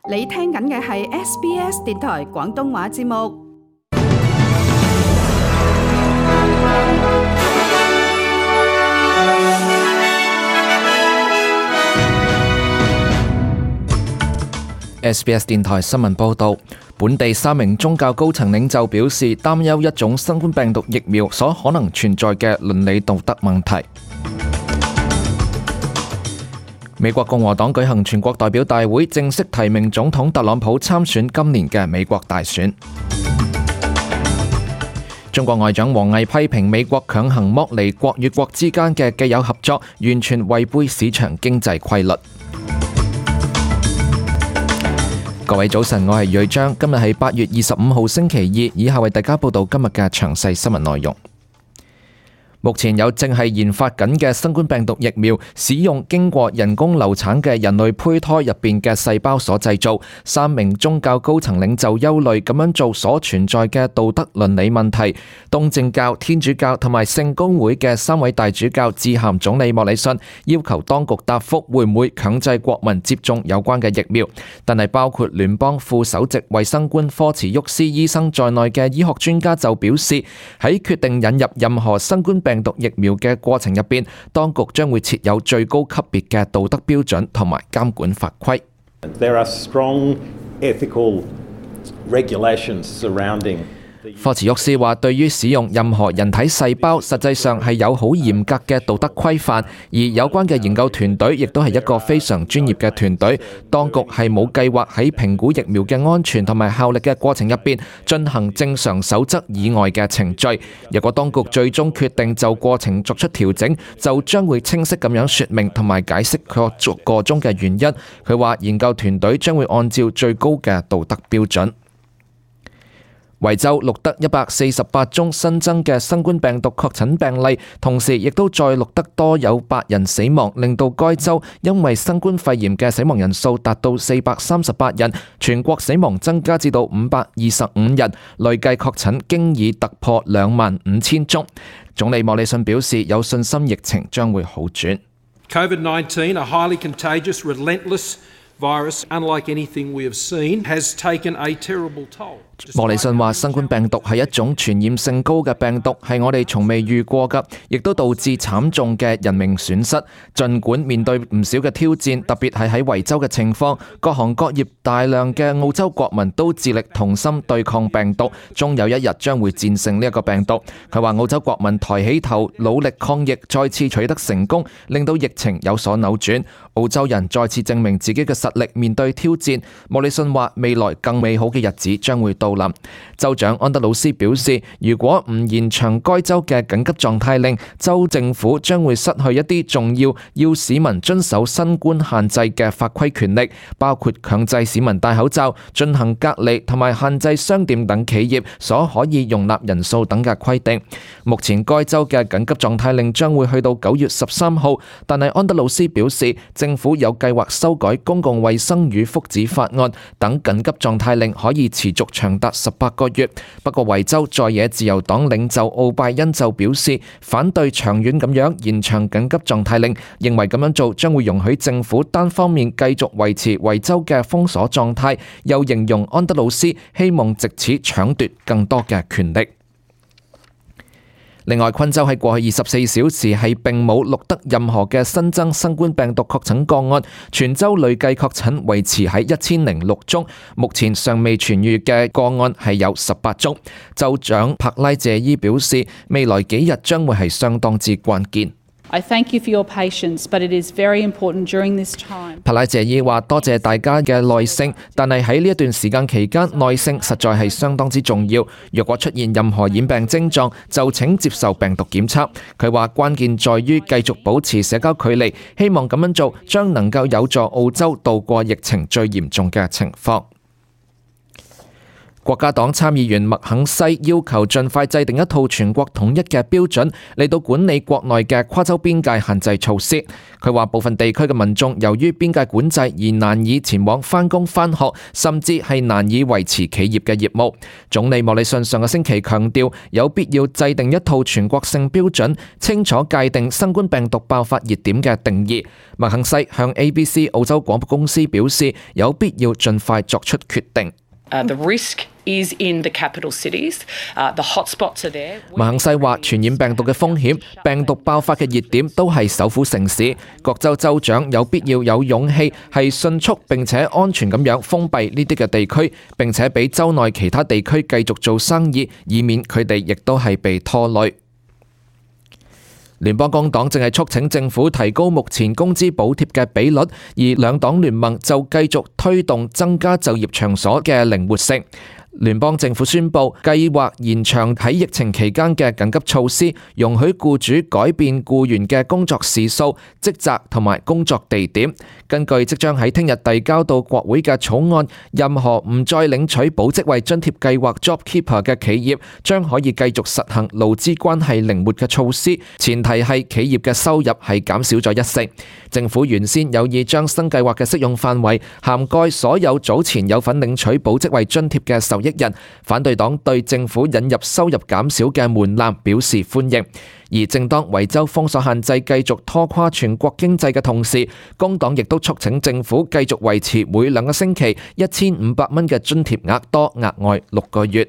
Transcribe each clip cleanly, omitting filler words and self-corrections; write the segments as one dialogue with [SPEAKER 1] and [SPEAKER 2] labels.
[SPEAKER 1] 你聽緊嘅係 SBS 電台廣東話節目。
[SPEAKER 2] SBS 電台新聞報導，本地3名宗教高層領袖表示擔憂一種新冠病毒疫苗所可能存在嘅倫理道德問題。美國共和黨舉行全國代表大會，正式提名總統特朗普參選今年嘅美國大選。中國外長王毅批評美國強行剝離國與國之間嘅既有合作，完全違背市場經濟規律。各位早晨，我係瑞章，今日係8月25號星期二，以下為大家報道今日嘅詳細新聞內容。目前有正係研發緊嘅新冠病毒疫苗，使用經過人工流產嘅人類胚胎入邊嘅細胞所製造。3名宗教高層領袖憂慮咁樣做所存在嘅道德倫理問題。東正教、天主教同埋聖公會嘅3位大主教致函總理莫里遜，要求當局答覆會唔會強制國民接種有關嘅疫苗。但係包括聯邦副首席衛生官科茨沃斯醫生在內嘅醫學專家就表示，喺決定引入任何新冠病毒疫苗嘅過程入邊，當局將會設有最高級別嘅道德標準同埋監管法規。
[SPEAKER 3] There are strong ethical regulations surrounding。
[SPEAKER 2] 科茨沃斯話，對於使用任何人體細胞，實際上係有好嚴格嘅道德規範，而有關嘅研究團隊亦都係一個非常專業嘅團隊。當局係冇計劃喺評估疫苗嘅安全同埋效力嘅過程入邊進行正常守則以外嘅程序。若果當局最終決定就過程作出調整，就將會清晰咁樣說明同埋解釋佢個中嘅原因。佢話研究團隊將會按照最高嘅道德標準。維州錄得148宗新增嘅新冠病毒確診病例，同時亦都再錄得多有8人死亡，令到該州因為新冠肺炎嘅死亡人數達到438人，全國死亡增加至到525人，累計確診經已突破25000宗。總理莫里遜表示有信心疫情將會好轉。
[SPEAKER 4] COVID-19, a highly contagious, relentless virus, unlike anything we have seen, has taken a terrible toll.
[SPEAKER 2] 莫里遜話：新冠病毒係一種傳染性高嘅病毒，係我哋從未遇過㗎，亦都導致慘重嘅人命損失。儘管面對唔少嘅挑戰，特別係喺維州嘅情況，各行各業大量嘅澳洲國民都致力同心對抗病毒，終有一日將會戰勝呢一個病毒。佢話：澳洲國民抬起頭，努力抗疫，再次取得成功，令到疫情有所扭轉。澳洲人再次證明自己嘅實力，面對挑戰。莫里遜話：未來更美好嘅日子將會到臨。州長安德魯斯表示，如果唔延長該州嘅緊急狀態令，州政府將會失去一啲重要市民遵守新冠限制嘅法規權力，包括強制市民戴口罩、進行隔離同埋限制商店等企業所可以容納人數等嘅規定。目前該州嘅緊急狀態令將會去到9月13號，但係安德魯斯表示，政府有計劃修改公共衛生與福祉法案，等緊急狀態令可以持續長達18個月。不過維州在野自由黨領袖奧拜恩就表示反對長遠咁樣延長緊急狀態令，認為咁樣做將會容許政府單方面繼續維持維州嘅封鎖狀態，又形容安德魯斯希望藉此搶奪更多嘅權力。另外，昆州喺過去24小時係並冇錄得任何嘅新增新冠病毒確診個案，全州累計確診維持喺1006宗，目前尚未痊癒嘅個案係有18宗。州長帕拉謝伊表示，未來幾日將會係相當之關鍵。
[SPEAKER 5] I thank you for your patience, but it is very important during this time.
[SPEAKER 2] 帕拉謝伊話：多謝大家嘅耐性，但係喺呢一段時間期間，耐性實在係相當之重要。若果出現任何染病症狀，就請接受病毒檢測。佢話關鍵在於繼續保持社交距離，希望咁樣做將能夠有助澳洲渡過疫情最嚴重嘅情況。國家黨參議員麥肯西要求盡快制定一套全國統一嘅標準嚟到管理國內嘅跨州邊界限制措施。佢話部分地區嘅民眾由於邊界管制而難以前往返工返學，甚至係難以維持企業嘅業務。總理莫里遜上個星期強調有必要制定一套全國性標準，清楚界定新冠病毒爆發熱點嘅定義。麥肯西向 ABC 澳洲廣播公司表示，有必要盡快作出決定。
[SPEAKER 6] The risk is in the capital cities. The hotspots are there.
[SPEAKER 2] 麥肯西話，傳染病毒嘅風險、病毒爆發嘅熱點都係首府城市，各州州長有必要有勇氣係迅速並且安全咁樣封閉呢啲嘅地區，並且俾州內其他地區繼續做生意，以免佢哋亦都係被拖累。聯邦工黨正係促請政府提高目前工資補貼嘅比率，而兩黨聯盟就繼續推動增加就業場所嘅靈活性。聯邦政府宣布計劃延長喺疫情期間嘅緊急措施，容許僱主改變僱員嘅工作時數、職責同埋工作地點。根據即將喺聽日遞交到國會嘅草案，任何唔再領取保職位津貼計劃 JobKeeper 嘅企業將可以繼續實行勞資關係靈活嘅措施，前提係企業嘅收入係減少咗1成。政府原先有意將新計劃嘅適用範圍涵蓋所有早前有份領取保職位津貼嘅受益人。反對黨對政府引入收入減少嘅門檻表示歡迎，而正當維州封鎖限制繼續拖垮全國經濟嘅同時，工黨亦都促請政府繼續維持每2個星期1500蚊嘅津貼額多額外6個月。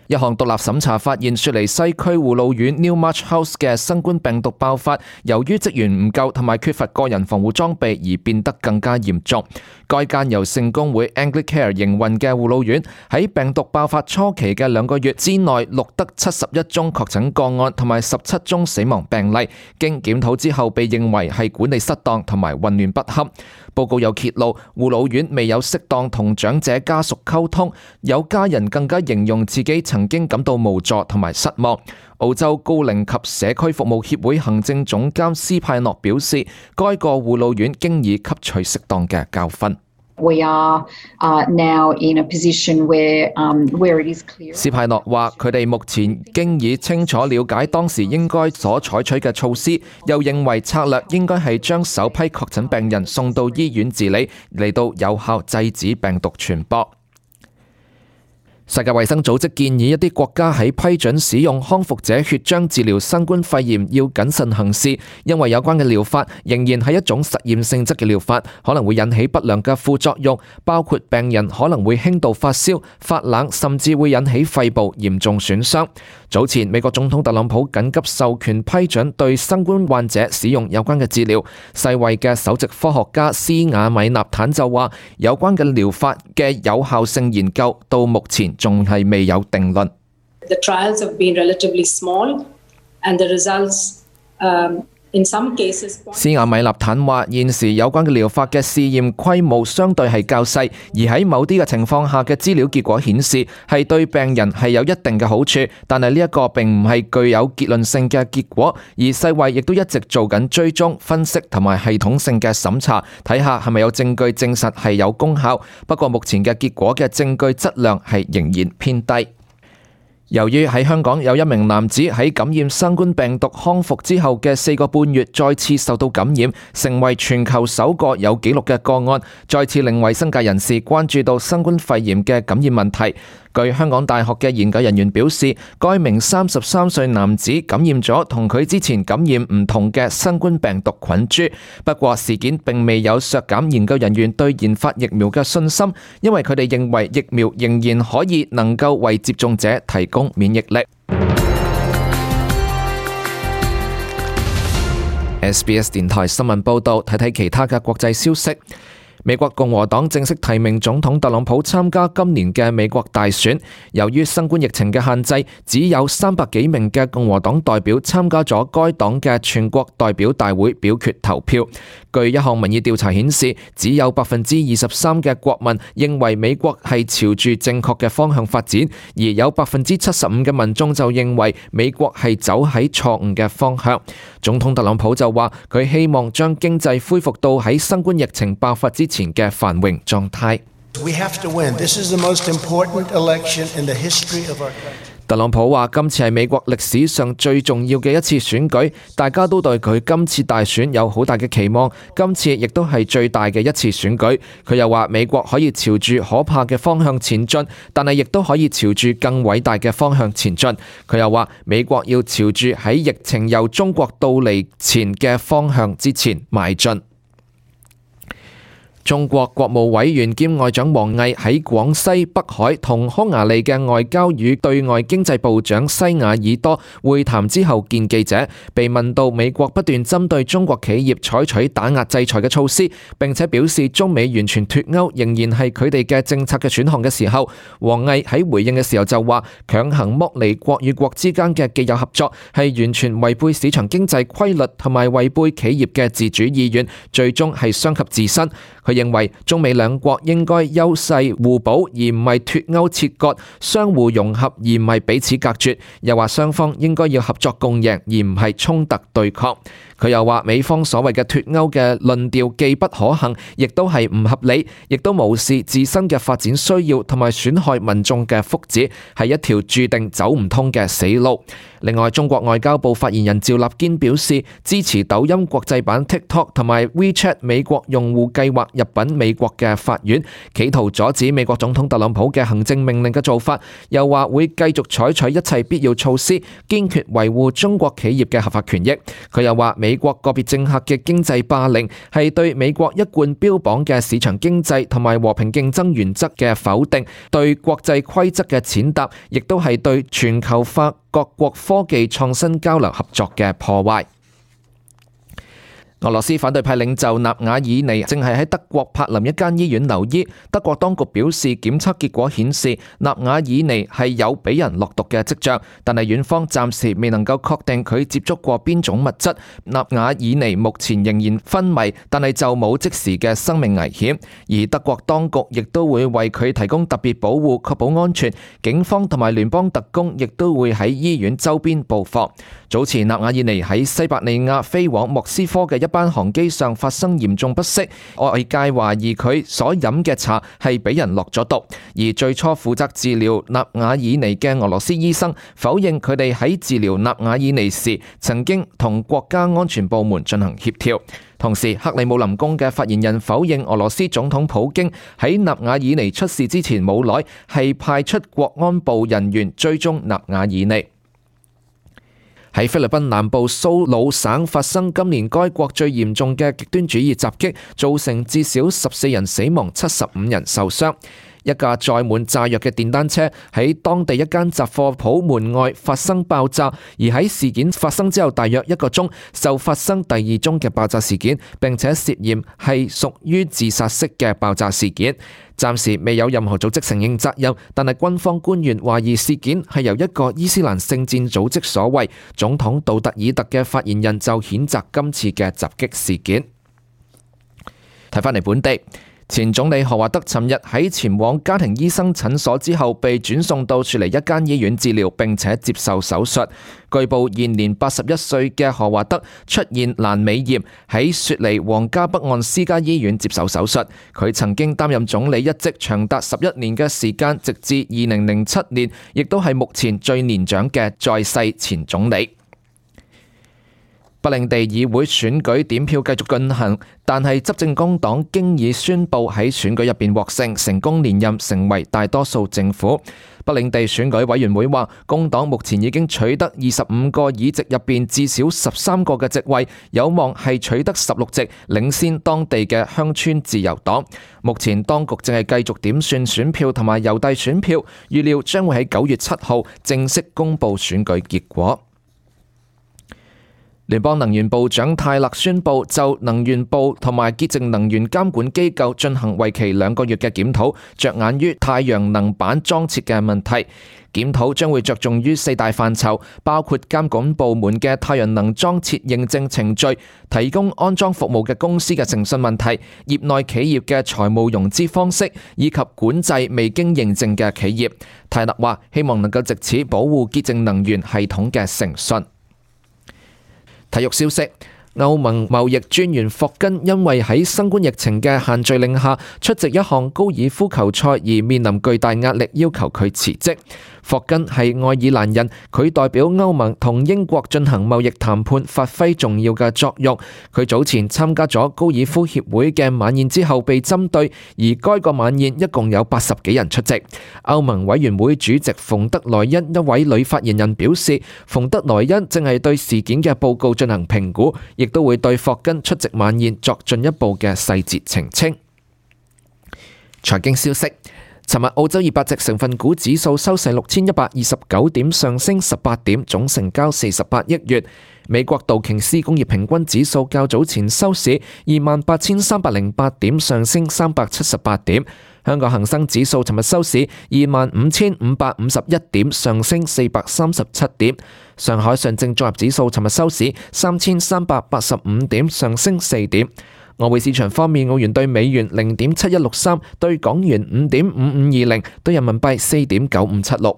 [SPEAKER 2] 一項獨立審查發現，雪梨西區護老院 Newmarch House 嘅新冠病毒爆發，由於職員唔夠同埋缺乏個人防護裝備而變得更加嚴重。該間由聖公會 Anglicare 營運嘅護老院喺病毒爆發初期嘅2個月之內錄得71宗確診個案同埋17宗死亡病例，經檢討之後被認為係管理失當同埋混亂不堪。報告又揭露，護老院未有適當同長者家屬溝通，有家人更加形容自己曾經感到無助同埋失望。澳洲高齡及社區服務協會行政總監斯派諾表示，該個護老院經已吸取適當嘅教訓。
[SPEAKER 7] We are now in a position where it is clear.
[SPEAKER 2] 斯派諾話：佢哋目前經已清楚了解當時應該所採取嘅措施，又認為策略應該係將首批確診病人送到醫院治理，嚟到有效制止病毒傳播。世界衛生組織建議一啲國家喺批准使用康復者血漿治療新冠肺炎要謹慎行事，因為有關嘅療法仍然係一種實驗性質嘅療法，可能會引起不良嘅副作用，包括病人可能會輕度發燒、發冷，甚至會引起肺部嚴重損傷。早前美國總統特朗普緊急授權批准對新冠患者使用有關嘅治療。世衛嘅首席科學家斯瓦米納坦就話，有關嘅療法嘅有效性研究到目前仲係未有定論。
[SPEAKER 8] The trials have been relatively small, and the results, in some cases.
[SPEAKER 2] 斯瓦米納坦話，現時有關嘅療法嘅試驗規模相對係較細，而喺某啲嘅情況下嘅資料結果顯示係對病人係有一定嘅好處，但係呢一個並唔係具有結論性嘅結果。而世衛亦都一直做緊追蹤、分析同埋系統性嘅審查，睇下係咪有證據證實係有功效。不過目前嘅結果嘅證據質量係仍然偏低。由於喺香港有一名男子喺感染新冠病毒康復之後嘅4個半月再次受到感染，成為全球首個有紀錄嘅個案，再次令衛生界人士關注到新冠肺炎嘅感染問題。據香港大學嘅研究人員表示，該名33歲男子感染咗同佢之前感染唔同嘅新冠病毒菌株。不過事件並未有削減研究人員對研發疫苗嘅信心，因為佢哋認為疫苗仍然可以能夠為接種者提供免疫力。SBS 電台新聞報道，睇睇其他嘅國際消息。美國共和黨正式提名總統特朗普參加今年嘅美國大選。由於新冠疫情嘅限制，只有300幾名嘅共和黨代表參加咗該黨嘅全國代表大會表決投票。據一項民意調查顯示，只有23%嘅國民認為美國係朝住正確嘅方向發展，而有75%嘅民眾就認為美國係走喺錯誤嘅方向。總統特朗普就話，佢希望將經濟恢復到喺新冠疫情爆發之前嘅繁榮狀態。
[SPEAKER 9] We have to win. This is the most important election in the history of our country.
[SPEAKER 2] 特朗普話：今次係美國歷史上最重要嘅一次選舉，大家都對佢今次大選有好大嘅期望。今次亦都係最大嘅一次選舉。佢又話：美國可以朝住可怕嘅方向前進，但係亦都可以朝住更偉大嘅方向前進。佢又話：美國要朝住喺疫情由中國到嚟前嘅方向之前邁進。中國國務委員兼外長王毅喺廣西北海同匈牙利嘅外交與對外經濟部長西雅爾多會談之後見記者，被問到美國不斷針對中國企業採取打壓制裁嘅措施，並且表示中美完全脫鈎仍然係佢哋嘅政策嘅選項嘅時候，王毅喺回應嘅時候就話：強行剝離國與國之間嘅既有合作係完全違背市場經濟規律同埋違背企業嘅自主意願，最終係傷及自身。佢認為中美兩國應該優勢互補，而唔係脫鈎切割，相互融合而唔係彼此隔絕。又話雙方應該要合作共贏，而唔係衝突對抗。佢又話美方所謂嘅脫鈎嘅論調既不可行，亦都係唔合理，亦都無視自身嘅發展需要同埋損害民眾嘅福祉，係一條注定走唔通嘅死路。另外，中國外交部發言人趙立堅表示，支持抖音國際版 TikTok 同埋 WeChat 美國用戶計劃入稟美國嘅法院，企圖阻止美國總統特朗普嘅行政命令嘅做法，又話會繼續採取一切必要措施，堅決維護中國企業嘅合法權益。佢又話美國個別政客嘅經濟霸凌係對美國一貫標榜嘅市場經濟同埋和平競爭原則嘅否定，對國際規則嘅踐踏，亦都係對全球化各國科技創新交流合作嘅破壞。俄羅斯反對派領袖納瓦爾尼正係喺德國柏林一間醫院留醫。德國當局表示，檢測結果顯示納瓦爾尼係有俾人落毒嘅跡象，但係院方暫時未能夠確定佢接觸過邊種物質。納瓦爾尼目前仍然昏迷，但係就冇即時嘅生命危險。而德國當局亦都會為佢提供特別保護，確保安全。警方同埋聯邦特工亦都會喺醫院周邊布防。早前納瓦爾尼喺西伯利亞飛往莫斯科嘅一班航機上發生嚴重不適，外界懷疑佢所飲嘅茶係俾人落咗毒。而最初負責治療納瓦爾尼嘅俄羅斯醫生否認佢哋喺治療納瓦爾尼時曾經同國家安全部門進行協調。同時，克里姆林宮嘅發言人否認俄羅斯總統普京喺納瓦爾尼出事之前冇耐係派出國安部人員追蹤納瓦爾尼。喺菲律賓南部蘇魯省發生今年該國最嚴重嘅極端主義襲擊，造成至少14人死亡、75人受傷。一架載滿炸藥嘅電單車喺當地一間雜貨鋪門外發生爆炸，而喺事件發生之後大約1個鐘，就發生第2宗嘅爆炸事件，並且涉嫌係屬於自殺式嘅爆炸事件。暫時未有任何組織承認責任，但係軍方官員懷疑事件係由一個伊斯蘭聖戰組織所為。總統杜特爾特嘅發言人就譴責今次嘅襲擊事件。睇返嚟本地。前總理何華德尋日喺前往家庭醫生診所之後，被轉送到雪梨一間醫院治療，並且接受手術。據報現年81歲嘅何華德出現闌尾炎，喺雪梨皇家北岸私家醫院接受手術。佢曾經擔任總理一職長達11年嘅時間，直至2007年，亦都係目前最年長嘅在世前總理。北領地議會選舉點票繼續進行，但係執政工黨經已宣布喺選舉入邊獲勝，成功連任成為大多數政府。北領地選舉委員會話，工黨目前已經取得25個議席入邊至少13個嘅席位，有望係取得16席，領先當地嘅鄉村自由黨。目前當局正係繼續點算選票同埋郵遞選票，預料將會喺9月7號正式公布選舉結果。聯邦能源部長泰勒宣布就能源部同埋潔淨能源監管機構進行為期2個月嘅檢討，着眼於太陽能板裝設嘅問題。檢討將會着重於4大範疇，包括監管部門嘅太陽能裝設認證程序、提供安裝服務嘅公司嘅誠信問題、業內企業嘅財務融資方式，以及管制未經認證嘅企業。泰勒話希望能夠藉此保護潔淨能源系統嘅誠信。體育消息：歐盟貿易專員霍根因為喺新冠疫情嘅限聚令下出席一項高爾夫球賽而面臨巨大壓力，要求佢辭職。霍根係愛爾蘭人，佢代表歐盟同英國進行貿易談判，發揮重要嘅作用。佢早前參加咗高爾夫協會嘅晚宴之後被針對，而該個晚宴一共有80幾人出席。歐盟委員會主席馮德萊恩一位女發言人表示，馮德萊恩正係對事件嘅報告進行評估，亦都會對霍根出席晚宴作進一步嘅細節澄清。財經消息。尋日澳洲200隻成分股指數收市6129點，上升18點，總成交48億元。美國道瓊斯工業平均指數較早前收市28,308點，上升378點。香港恒生指數尋日收市25,551點，上升437點。上海上證綜合指數尋日收市3,385點，上升4點。外匯市場方面，澳元對美元0.7163，對港元5.5520，對人民幣4.9576。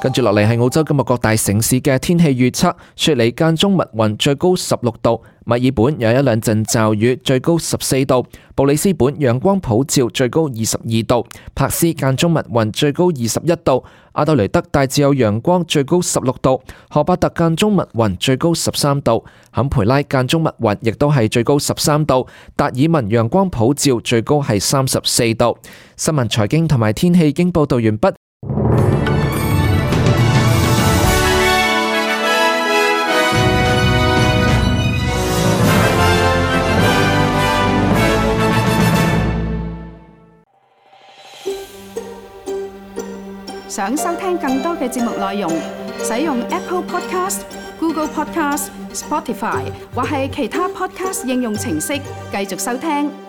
[SPEAKER 2] 跟住落嚟係澳洲今日各大城市嘅天氣預測：雪梨間中密雲，最高16度；墨爾本有一兩陣驟雨，最高14度；布里斯本陽光普照，最高22度；柏斯間中密雲，最高21度；阿德雷德大致有陽光，最高16度；荷巴特間中密雲，最高13度；坎培拉間中密雲，亦都係最高13度；達爾文陽光普照，最高係34度。新聞、財經同埋天氣已經報道完畢。
[SPEAKER 1] 想收聽更多嘅節目內容，使用 Apple Podcast、Google Podcast、Spotify 或係其他 Podcast 應用程式繼續收聽。